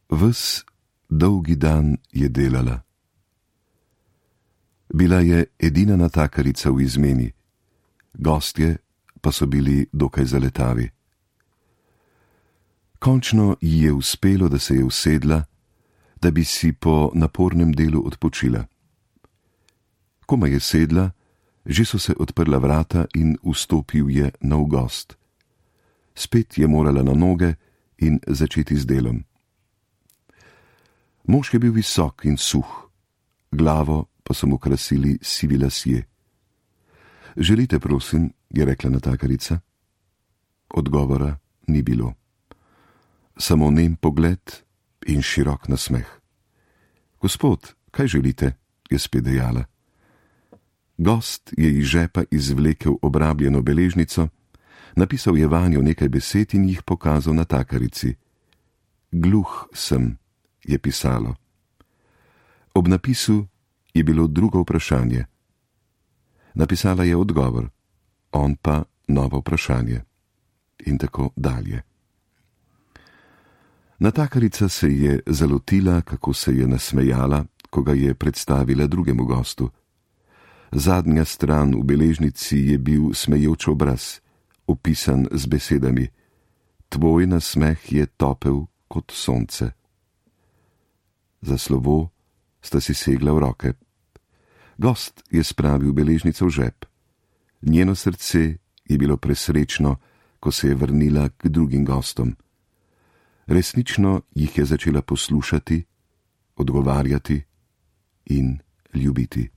Ves dolgi dan je delala. Bila je edina natakarica v izmeni, gostje pa so bili dokaj zaletavi. Končno ji je uspelo, da se je usedla, da bi si po napornem delu odpočila. Komaj je sedla, že so se odprla vrata in vstopil je nov gost. Spet je morala na noge in začeti z delom. Mož je bil visok in suh, glavo pa so mu krasili sivi lasje. Želite, prosim, je rekla natakarica. Odgovora ni bilo. Samo nem pogled in širok nasmeh. Gospod, kaj želite, je spet dejala. Gost je iz žepa izvlekel obrabljeno beležnico, napisal je vanjo nekaj besed in jih pokazal natakarici. Gluh sem, je pisalo. Ob napisu je bilo drugo vprašanje. Napisala je odgovor, on pa novo vprašanje. In tako dalje. Natakarica se je zalotila, kako se je nasmejala, ko ga je predstavila drugemu gostu. Zadnja stran v beležnici je bil smejoč obraz, opisan z besedami: Tvoj nasmeh je topel kot sonce. Za slovo sta si segla v roke. Gost je spravil beležnico v žep. Njeno srce je bilo presrečno, ko se je vrnila k drugim gostom. Resnično jih je začela poslušati, odgovarjati in ljubiti.